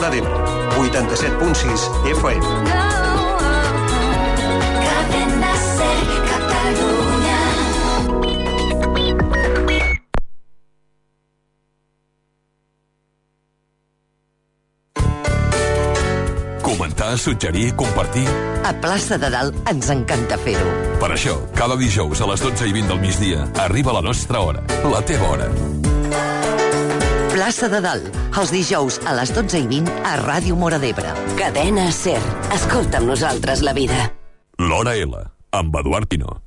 Móra d'Ebre, 87.6 FM. Cadena Ser, Catalunya. Comentar, suggerir, compartir... A Plaça de Dalt ens encanta fer-ho. Per això, cada dijous a les 12:20 del migdia arriba la nostra hora, la teva hora. Plaça de Dalt, els dijous a les 12:20 a Ràdio Móra d'Ebre. Cadena Ser. Escolta amb nosaltres la vida. L'Hora L, amb Eduard Pino.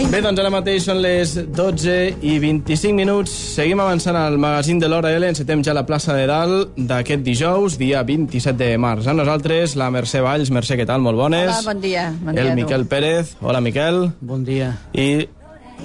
Bé, doncs ara mateix són les 12:25. Seguim avançant al magazín de l'Hora L. Encetem ja la plaça de Dalt d'aquest dijous, dia 27 de març. Amb nosaltres, la Mercè Valls. Mercè, què tal? Molt bones. Hola, bon dia. El Miquel Pérez. Hola, Miquel. Bon dia. I,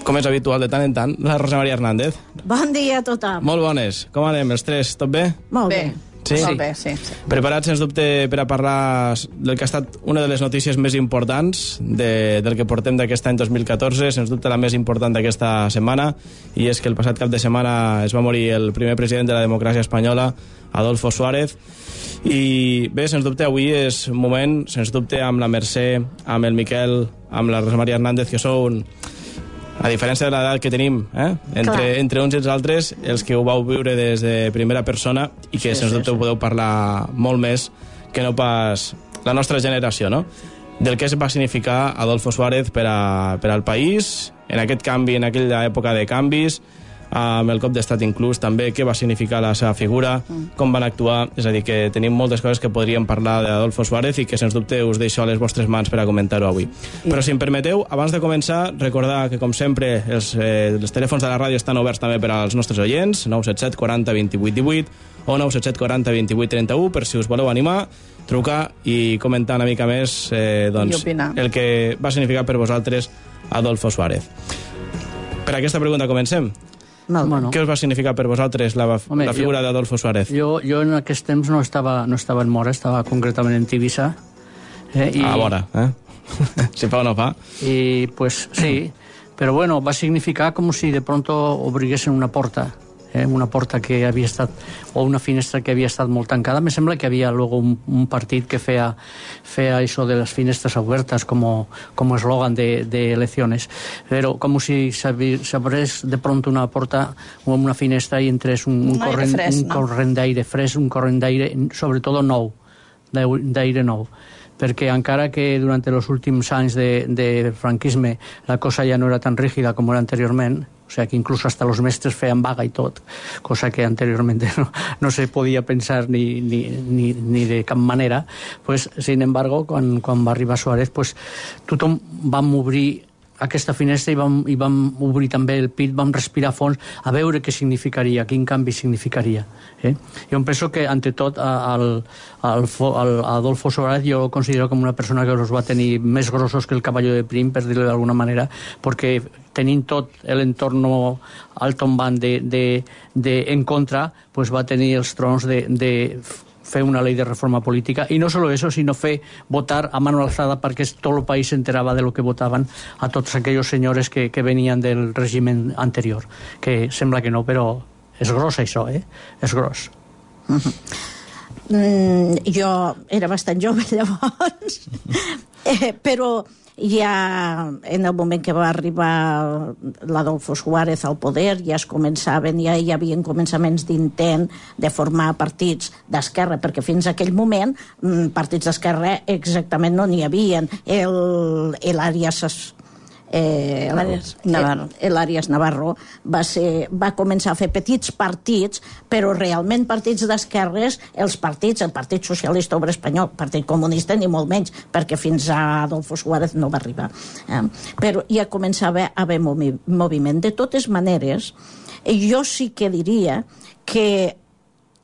com és habitual de tant en tant, la Rosa Maria Hernández. Bon dia a tothom. Molt bones. Com anem, els tres? Tot bé? Molt bé. Sí? Molt bé, sí. Preparats, sens dubte, per a parlar del que ha estat una de les notícies més importants del que portem d'aquest any 2014, sens dubte la més important d'aquesta setmana, i és que el passat cap de setmana es va morir el primer president de la democràcia espanyola, Adolfo Suárez. I bé, sens dubte, avui és un moment, sens dubte, amb la Mercè, amb el Miquel, amb la Rosa Maria Hernández, que sou a diferència de l'edat que tenim, entre uns i els altres, els que ho vau viure des de primera persona i que, sens dubte, ho podeu parlar molt més que no pas la nostra generació, no? Del que va significar Adolfo Suárez per al país, en aquest canvi, en aquella època de canvis, amb el cop d'estat inclús també, què va significar la seva figura, com van actuar. És a dir, que tenim moltes coses que podríem parlar d'Adolfo Suárez i que, sens dubte, us deixo a les vostres mans per a comentar-ho avui. Però, si em permeteu, abans de començar, recordar que, com sempre, els telèfons de la ràdio estan oberts també per als nostres oients, 977 40 28 18 o 977 40 28 31, per si us voleu animar, trucar i comentar una mica més el que va significar per vosaltres Adolfo Suárez. Per aquesta pregunta comencem. Bueno. Què us va significar per vosaltres la figura d'Adolfo Suárez? Jo en aquest temps no estava en Móra, estava concretament en Tivissa. A vora, si fa o no fa. I pues sí, però bueno, va significar com si de pronto obriguessin una porta. Una porta que havia estat, o una finestra que havia estat molt tancada. Me sembla que havia luego un partit que feia això de les finestres obertes com eslògan de eleccions, però com si s'obrés de pronto una porta o una finestra i entrés un corrent d'aire fresc, un corrent d'aire, sobretot nou, d'aire nou, perquè encara que durant els últims anys de franquisme la cosa ja no era tan rígida com era anteriorment, o sea que incluso hasta los mestres feien vaga i tot, cosa que anteriormente no se podia pensar ni de cap manera, pues, sin embargo, quan va arribar Suárez, pues, tothom vam obrir aquesta finestra i vam obrir també el pit, vam respirar a fons a veure què significaria, quin canvi significaria. Jo em penso que, ante tot, Adolfo Suárez jo el considero com una persona que els va tenir més grossos que el cavalló de Prim, per dir-ho d'alguna manera, perquè tenint tot l'entorn al tombant en contra, pues va tenir els trons de fer una llei de reforma política, i no solo eso, sino fer votar a mano alzada perquè tot el país s'enterava de lo que votaven a tots aquells senyors que venien del règim anterior, que sembla que no, però és gros això, és gros. Jo era bastant jove llavors, però ja en el moment que va arribar l'Adolfo Suárez al poder ja es començaven, ja hi havia començaments d'intent de formar partits d'esquerra, perquè fins a aquell moment partits d'esquerra exactament no n'hi havien. L'Àries Navarro va començar a fer petits partits, però realment partits d'esquerres, el Partit Socialista Obrer Espanyol, Partit Comunista ni molt menys, perquè fins a Adolfo Suárez no va arribar, però ja començava a haver moviment. De totes maneres, jo sí que diria que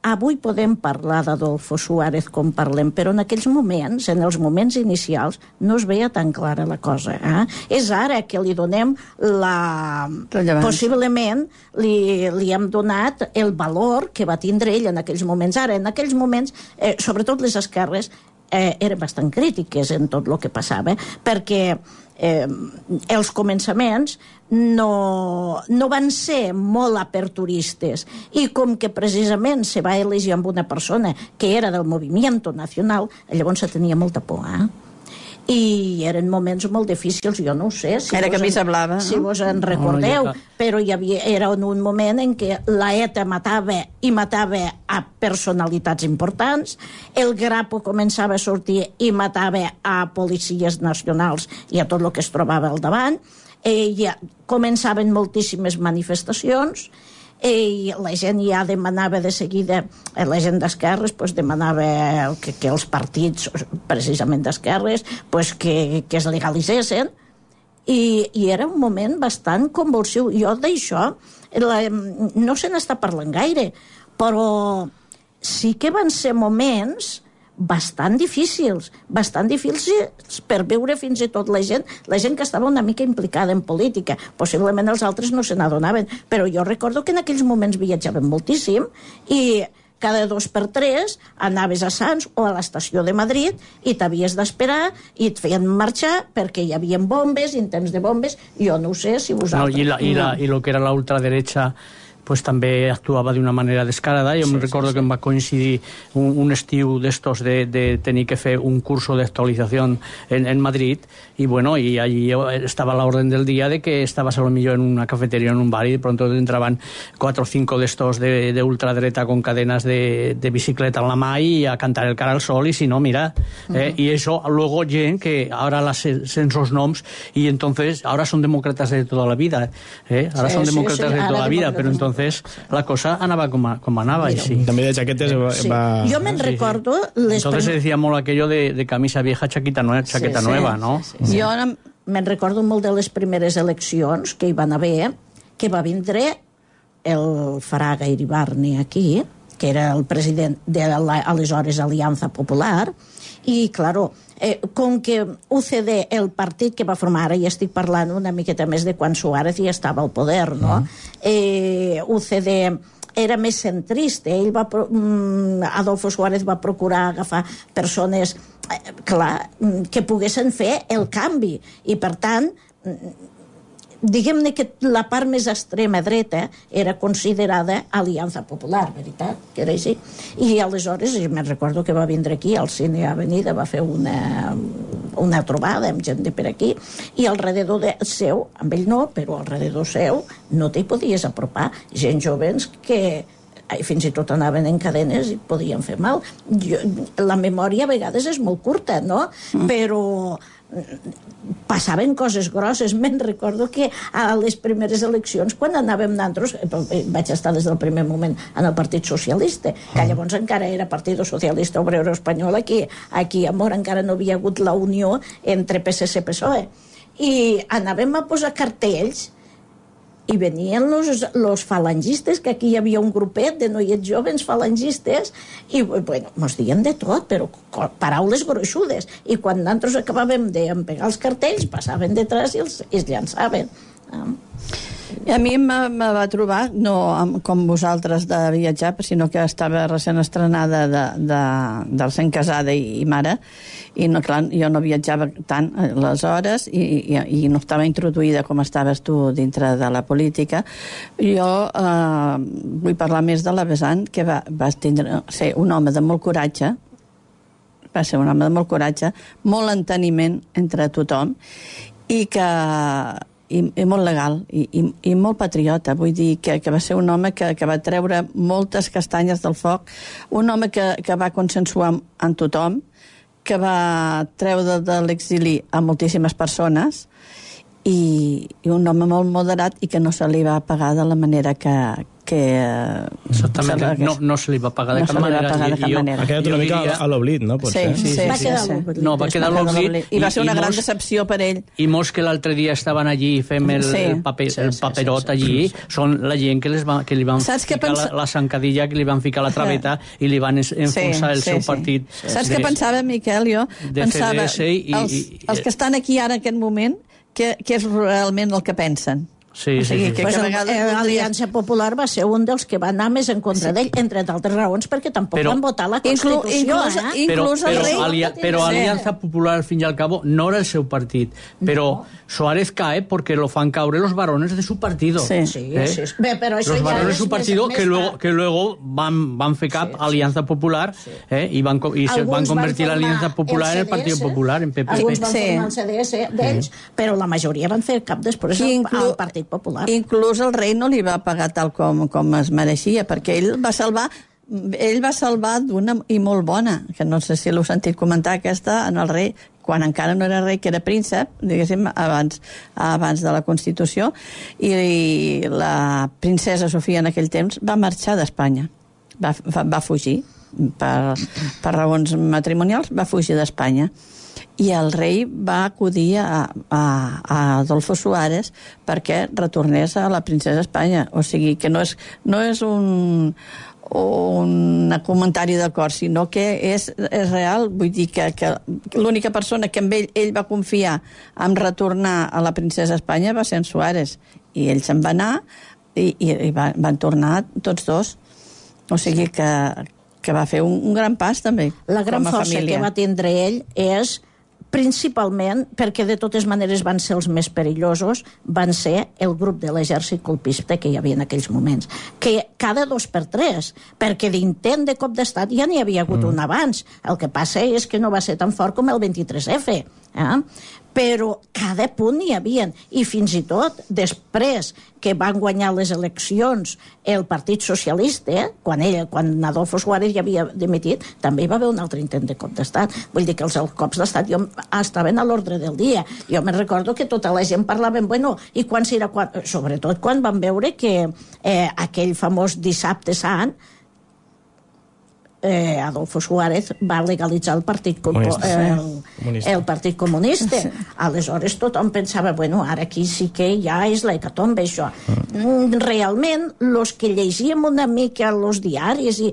avui podem parlar d'Adolfo Suárez com parlem, però en aquells moments, en els moments inicials, no es veia tan clara la cosa. És ara que li donem possiblement li hem donat el valor que va tindre ell en aquells moments. Ara, en aquells moments, sobretot les esquerres, eren bastant crítiques en tot el que passava, perquè els començaments no van ser molt aperturistes, i com que precisament se va elegir amb una persona que era del Movimiento Nacional, llavors se tenia molta por, i eren moments molt difícils, jo no ho sé era camisa blava, si vos en recordeu, però era un moment en què la ETA matava a personalitats importants, el Grapo començava a sortir i matava a policies nacionals i a tot el que es trobava al davant, començaven moltíssimes manifestacions, i la gent ja demanava de seguida, la gent d'esquerres demanava que els partits precisament d'esquerres que es legalitzessin, i era un moment bastant convulsiu. Jo d'això no se n'està parlant gaire, però sí que van ser moments bastant difícils per veure fins i tot la gent que estava una mica implicada en política. Possiblement els altres no se n'adonaven, però jo recordo que en aquells moments viatjaven moltíssim i cada 2 per 3 anaves a Sants o a l'estació de Madrid i t'havies d'esperar i et feien marxar perquè hi havia bombes, intents de bombes, jo no ho sé si vosaltres... I lo que era la ultraderecha pues també actuava d'una manera descarada. Jo me recordo que em va coincidir un estiu d'estos de tenir que fer un curso de actualización en Madrid, y bueno, y allí estaba la orden del día de que estabas a lo mejor en una cafetería, en un bar, y de pronto entraban 4 o 5 de estos de ultraderecha con cadenas de bicicleta en la mano y a cantar el cara al sol, y si no, mira, y eso luego que ahora las censos noms, y entonces ahora son demócratas de toda la vida, ahora son demócratas de toda la vida, pero entonces la cosa anava com anava. També de jaquetes va... Jo me'n recordo... Entonces se decía molt aquello de camisa vieja, chaqueta nueva, ¿no? Jo me'n recordo molt de les primeres eleccions que hi van haver, que va vindre el Fraga Iribarne aquí, que era el president de l'aleshores Alianza Popular, i, claro, com que UCD, el partit que va formar, ara ja estic parlant una miqueta més de quan Suárez ja estava al poder, no? UCD era més centrista, Adolfo Suárez va procurar agafar persones, que poguessin fer el canvi, i per tant diguem-ne que la part més extrema dreta era considerada Alianza Popular, veritat, que era així. I aleshores, me'n recordo que va vindre aquí al Cine Avenida, va fer una trobada amb gent de per aquí, i alrededor seu, amb ell no, però alrededor seu no t'hi podies apropar, gent jovens que fins i tot anaven en cadenes i podien fer mal. La memòria a vegades és molt curta, no? Però passaven coses grosses. Me'n recordo que a les primeres eleccions, quan anàvem nosaltres, vaig estar des del primer moment en el Partit Socialista, que llavors encara era Partido Socialista Obrero Espanyol, aquí a Mora encara no havia hagut la unió entre PSC i PSOE, i anàvem a posar cartells i venien los falangistes, que aquí hi havia un grupet de noiets jovens falangistes, i bueno, mos diuen de tot, però paraules gruixudes, i quan nosaltres acabàvem d'empegar els cartells passaven detrás i els llançaven. I a mi me va trobar, no com vosaltres de viatjar, sinó que estava recent estrenada del sent casada i mare, i no, clar, jo no viatjava tant aleshores i no estava introduïda com estaves tu dintre de la política. Jo vull parlar més de la Besant, que va ser un home de molt coratge, molt enteniment entre tothom, i molt legal i molt patriota, vull dir que va ser un home que va treure moltes castanyes del foc, un home que va consensuar amb tothom, que va treure de l'exili a moltíssimes persones i un home molt moderat i que no se li va pagar de la manera que exactament, no se li va pagar de cap manera. Ha quedat una mica a l'oblit, no? Sí. Va quedar a l'oblit. No, va quedar a l'oblit. I va ser una gran decepció per ell. I molts que l'altre dia estaven allí fent el paperot allí, són la gent que li van ficar la zancadilla, que li van ficar la traveta i li van enfonsar el seu partit. Saps què pensava, Miquel? Jo pensava, els que estan aquí ara en aquest moment, què és realment el que pensen? Sí. L'Aliança Popular va ser un dels que va anar més en contra d'ell, entre d'altres raons, perquè tampoc van votar la Constitució. Però Alianza Popular, al fin y al cabo, no era el seu partit. Però Suárez cae porque lo fan caure los varones de su partido. Sí. Pero eso los varones de su partido que luego van fer cap Alianza Popular y se van convertir la Alianza Popular en el Partido Popular, en PP. Alguns van formar el CDS d'ells, però la majoria van fer cap després al Partit Popular. Inclús el rei no li va pagar tal com es mereixia, perquè ell va salvar d'una i molt bona, que no sé si l'heu sentit comentar aquesta, en el rei, quan encara no era rei, que era príncep, diguéssim, abans de la Constitució, i la princesa Sofia en aquell temps va marxar d'Espanya, va fugir per raons matrimonials, va fugir d'Espanya. I el rei va acudir a Adolfo Suárez perquè retornés a la princesa Espanya. O sigui, que no és un comentari d'acord, sinó que és real. Vull dir que l'única persona que amb ell va confiar en retornar a la princesa Espanya va ser en Suárez. I ell se'n va anar i van tornar tots dos. O sigui que va fer un gran pas, també, la gran força que va tindre ell és principalment perquè de totes maneres van ser els més perillosos, van ser el grup de l'exèrcit colpista que hi havia en aquells moments, que cada 2 per 3, perquè d'intent de cop d'estat ja n'hi havia hagut un abans. El que passa és que no va ser tan fort com el 23F, però cada punt hi havia, i fins i tot després que van guanyar les eleccions el Partit Socialista, quan Adolfo Suárez ja havia dimitit, també hi va haver un altre intent de cop d'estat. Vull dir que els cops d'estat estaven a l'ordre del dia. Jo me'n recordo que tota la gent parlava, i quan serà, sobretot quan van veure que aquell famós dissabte sant Adolfo Suárez va legalitzar el Partit Comunista. Aleshores tothom pensava, ara aquí sí que ja és l'hecatombe, això. Realment, els que llegíem una mica els diaris i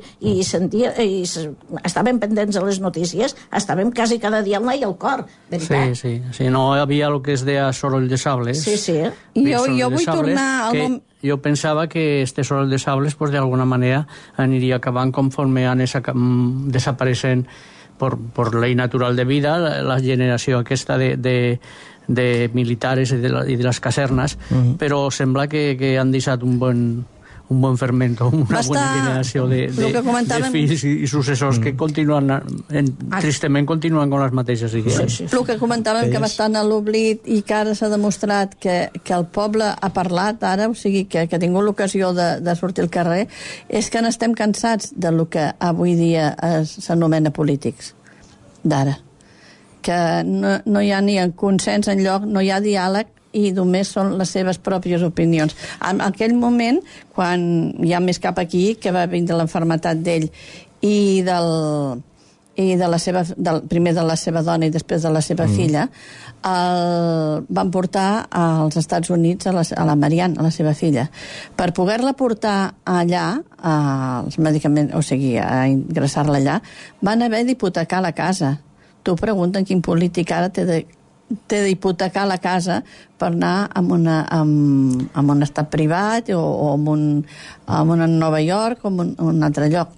estaven pendents de les notícies, estàvem quasi cada dia al i al cor, veritat? Sí, no hi havia el que es deia soroll de sables. Sí. Jo vull tornar al... Jo pensava que este Soroll de Sables, pues, de alguna manera aniria acabant conforme desapareixent por ley natural de vida la generació aquesta de militares i de les casernes, però sembla que han deixat un bon fermento, una bona generació de fills i successors que tristament continuen amb les mateixes idees. El que comentàvem que va estar a l'oblit i que ara s'ha demostrat que el poble ha parlat ara, o sigui que ha tingut l'ocasió de sortir al carrer, és que n'estem cansats del que avui dia s'anomena polítics d'ara, que no hi ha ni consens enlloc, no hi ha diàleg i només són les seves pròpies opinions. En aquell moment, quan ja més cap aquí, que va vindre l'enfermetat d'ell i primer de la seva dona i després de la seva filla, van portar als Estats Units a la Marianne, a la seva filla. Per poder-la portar allà, els medicaments, o sigui, a ingressar-la allà, van haver d'hipotecar la casa. Tu pregunten quin polític ara té d'hipotecar la casa per anar a un estat privat o a Nova York o a un altre lloc.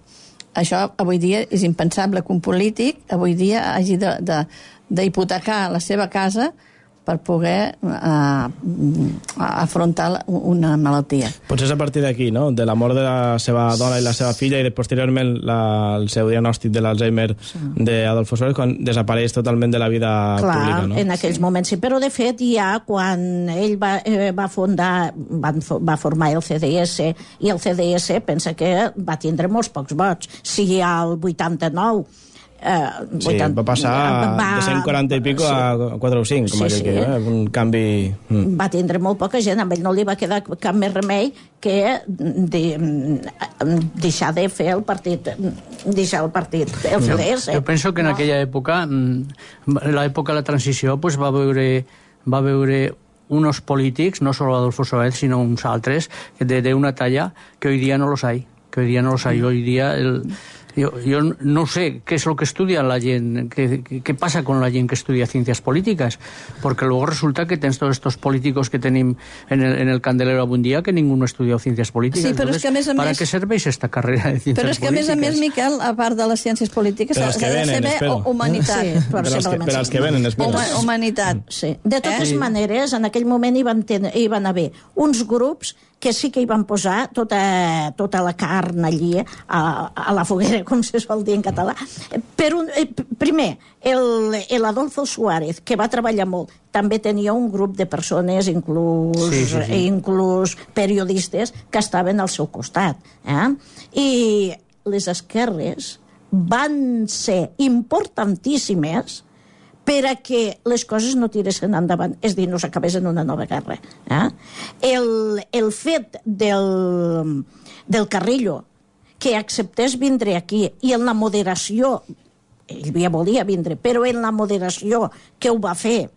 Això avui dia és impensable que un polític avui dia hagi d'hipotecar la seva casa per poder afrontar una malaltia. Potser és a partir d'aquí, no? De la mort de la seva dona i la seva filla i posteriorment el seu diagnòstic de l'Alzheimer d'Adolfo Suárez, quan desapareix totalment de la vida pública, no? En aquells moments sí, però de fet ja quan ell va formar el CDS, i el CDS pensa que va tindre molts pocs vots. Si al 89 Sí, va passar de 140 i pico a 4 o 5, com aquell que diu, un canvi... Va tindre molt poca gent, amb ell no li va quedar cap més remei que deixar de fer el partit, deixar el partit, el CDS. Jo penso que en aquella època, l'època de la transició, pues, va veure unos polítics, no solo Adolfo Suárez, sino uns altres, de una talla que hoy día no los hay. Hoy día yo no sé qué es lo que estudia la gente, qué pasa con la gente que estudia ciencias políticas, porque luego resulta que tens todos estos políticos que tenim en el candelero avui dia que ninguno ha estudiat ciencias políticas. Sí, però és que a més ¿Para qué serveix esta carrera de ciencias políticas? Però és que a més, Miquel, a part de les ciències polítiques, s'ha de saber humanitat. Sí, per als que venen, espera. Humanitat. Sí. De totes maneres, en aquell moment hi van haver uns grups que sí que hi van posar tota la carn allí a la foguera, com se sol dir en català. Primer, l'Adolfo Suárez, que va treballar molt, també tenia un grup de persones, inclús periodistes, que estaven al seu costat. I les esquerres van ser importantíssimes per a que les coses no tiressin endavant, és a dir, no s'acabés en una nova guerra. El fet del Carrillo, que acceptés vindre aquí, i en la moderació, ell ja volia vindre, però en la moderació que ho va fer,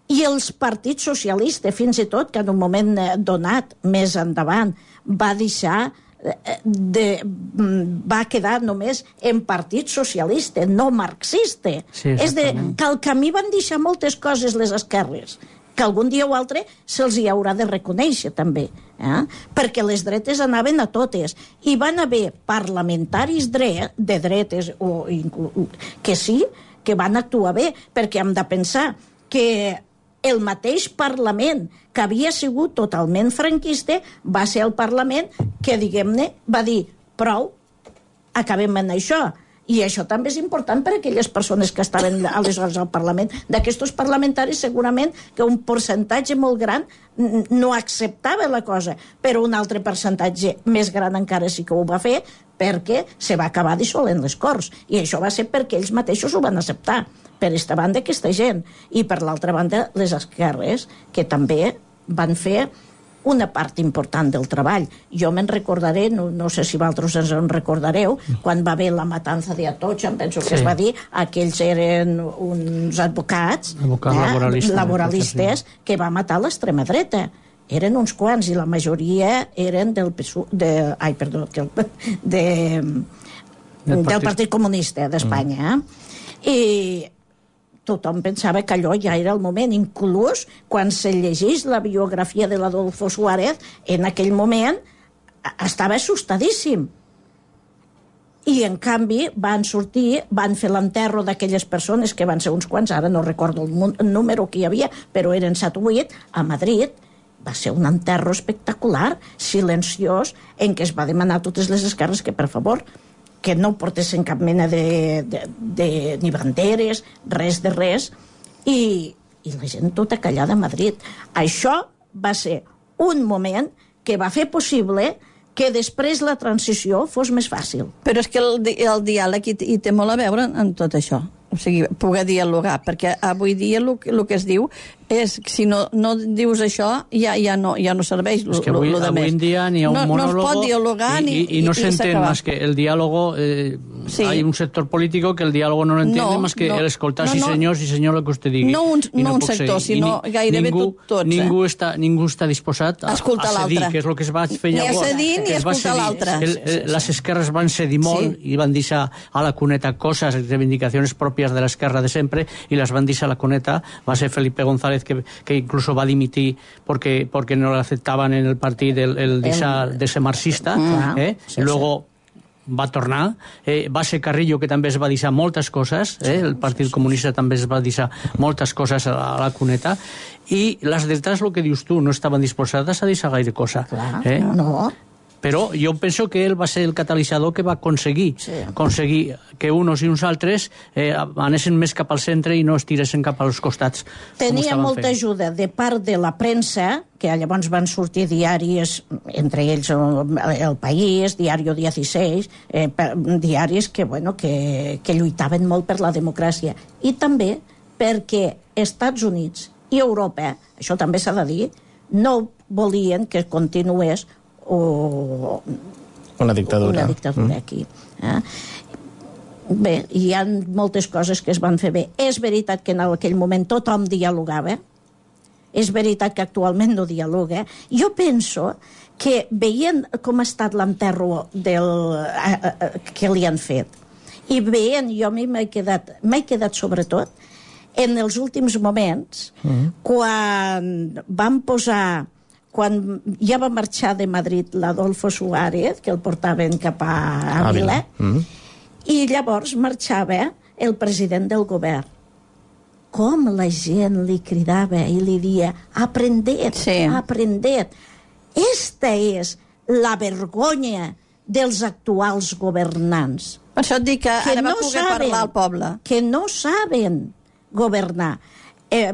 i els partits socialistes, fins i tot, que en un moment donat, més endavant, va deixar va quedar només en partit socialista, no marxista. Sí, és que al camí van deixar moltes coses les esquerres, que algun dia o altre se'ls hi haurà de reconèixer també, perquè les dretes anaven a totes, i van haver parlamentaris de dretes que sí, que van actuar bé, perquè hem de pensar que el mateix Parlament, que havia sigut totalment franquista, va ser el Parlament que, diguem-ne, va dir prou, acabem en això. I això també és important per a aquelles persones que estaven aleshores al Parlament. D'aquests parlamentaris, segurament que un percentatge molt gran no acceptava la cosa, però un altre percentatge més gran encara sí que ho va fer, perquè se va acabar dissolent les Corts. I això va ser perquè ells mateixos ho van acceptar. Per aquesta banda, aquesta gent. I per l'altra banda, les esquerres, que també van fer una part important del treball. Jo me'n recordaré, no sé si vosaltres ens en recordareu, quan va haver la matança d'Atocha, em penso que es va dir, aquells eren uns advocats laboralistes que va matar l'extrema dreta. Eren uns quants, i la majoria eren del Partit Comunista d'Espanya. I tothom pensava que allò ja era el moment. Inclús quan se llegeix la biografia de l'Adolfo Suárez, en aquell moment estava assustadíssim. I en canvi van sortir, van fer l'enterro d'aquelles persones, que van ser uns quants, ara no recordo el número que hi havia, però eren 7 o 8, a Madrid. Va ser un enterro espectacular, silenciós, en què es va demanar a totes les esquerres que, per favor, que no portessin cap mena ni banderes, res de res, i la gent tota callada a Madrid. Això va ser un moment que va fer possible que després la transició fos més fàcil. Però és que el diàleg hi té molt a veure en tot això. O sigui, poder dialogar, perquè avui dia el que es diu és que si no dius això ja no serveix lo de més. Avui en dia ni ha un monólogo, no es pot dialogar y no se entiende más que el diálogo. Sí. Hay un sector político que el diálogo no lo entiende más que el escoltar sí senyor el que usted digui. No un sector, sinó gairebé tots. Ningú està disposat a cedir, que és el que es va fer llavors. Ni a cedir ni a escoltar l'altre. Les esquerres van cedir molt i van deixar a la cuneta coses, reivindicacions pròpies de l'esquerra de sempre, i les van deixar a la cuneta. Va ser Felipe González que incluso va dimitir porque no le aceptaban en el partido de ser marxista, y luego va tornar. Va ser Carrillo, que també es va deixar moltes coses, el Partit Comunista també es va deixar moltes coses a la cuneta, i les dretes, el que dius tu, no estaven disposades a deixar gaire cosa. No. Però jo penso que ell va ser el catalitzador que va aconseguir que uns i uns altres anessin més cap al centre i no es tiressin cap als costats. Tenia molta ajuda de part de la premsa, que llavors van sortir diaris, entre ells El País, Diario 16, diaris que lluitaven molt per la democràcia. I també perquè Estats Units i Europa, això també s'ha de dir, no volien que continués una dictadura aquí. Bé, hi ha moltes coses que es van fer bé. És veritat que en aquell moment tothom dialogava, és veritat que actualment no dialoga. Jo penso que veient com ha estat l'enterro que li han fet, i veient, jo a mi m'he quedat sobretot en els últims moments, quan ja va marxar de Madrid l'Adolfo Suárez, que el portaven cap a Ávila, i llavors marxava el president del govern. Com la gent li cridava i li dia aprendet. Esta és la vergonya dels actuals governants. Per això et dic que ara va poder parlar al poble. Que no saben governar.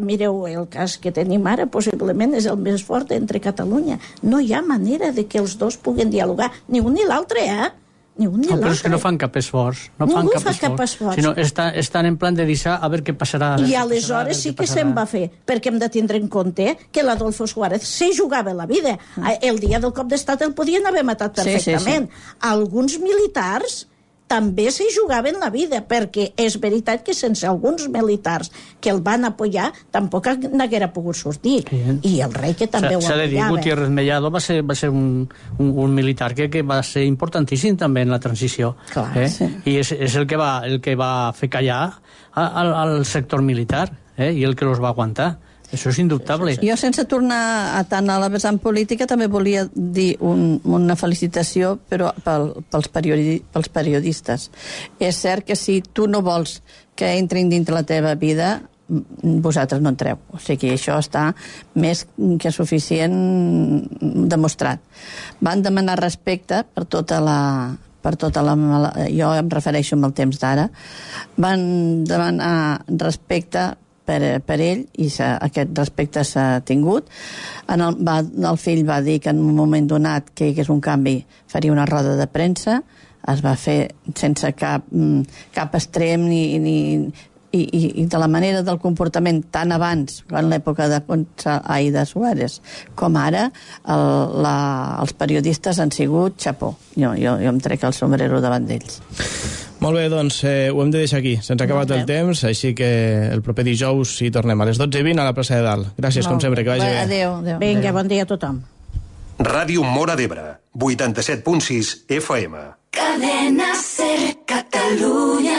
Mireu, el cas que tenim ara possiblement és el més fort entre Catalunya. No hi ha manera de que els dos puguen dialogar, ni un ni l'altre, Ni un ni l'altre. Però és que no fan cap esforç. Ningú fa cap esforç. Sinó estan en plan de deixar a veure què passarà. I aleshores sí que se'n va fer, perquè hem de tindre en compte que l'Adolfo Suárez se jugava la vida. El dia del cop d'estat el podien haver matat perfectament. Alguns militars també se jugaven la vida, perquè és veritat que sense alguns militars que el van apoyar tampoc n'haguera pogut sortir. I el rei que també ho apoyava. S'ha de dir, Gutiérrez Mellado va ser un militar que va ser importantíssim també en la transició. I és el que va fer callar al sector militar, i el que els va aguantar. Això és indubtable. Jo, sense tornar tant a la vessant política, també volia dir una felicitació però pels periodistes. És cert que si tu no vols que entrin dintre la teva vida, vosaltres no entreu. O sigui, això està més que suficient demostrat. Van demanar respecte per tota la jo em refereixo amb el temps d'ara, van demanar respecte per ell, i aquest respecte s'ha tingut. El fill va dir que en un moment donat que hi hagués un canvi faria una roda de premsa, es va fer sense cap extrem i de la manera del comportament tant abans, en l'època de Suárez, com ara els periodistes han sigut xapó. Jo em trec el sombrero davant d'ells. Molt bé, doncs ho hem de deixar aquí. Se'ns ha acabat el temps, així que el proper dijous hi tornem a les 12:20 a la plaça de Dalt. Gràcies, com sempre, que vagi bé. Adéu. Vinga, bon dia a tothom. Ràdio Móra d'Ebre, 87.6 FM. Cadena Ser, Catalunya.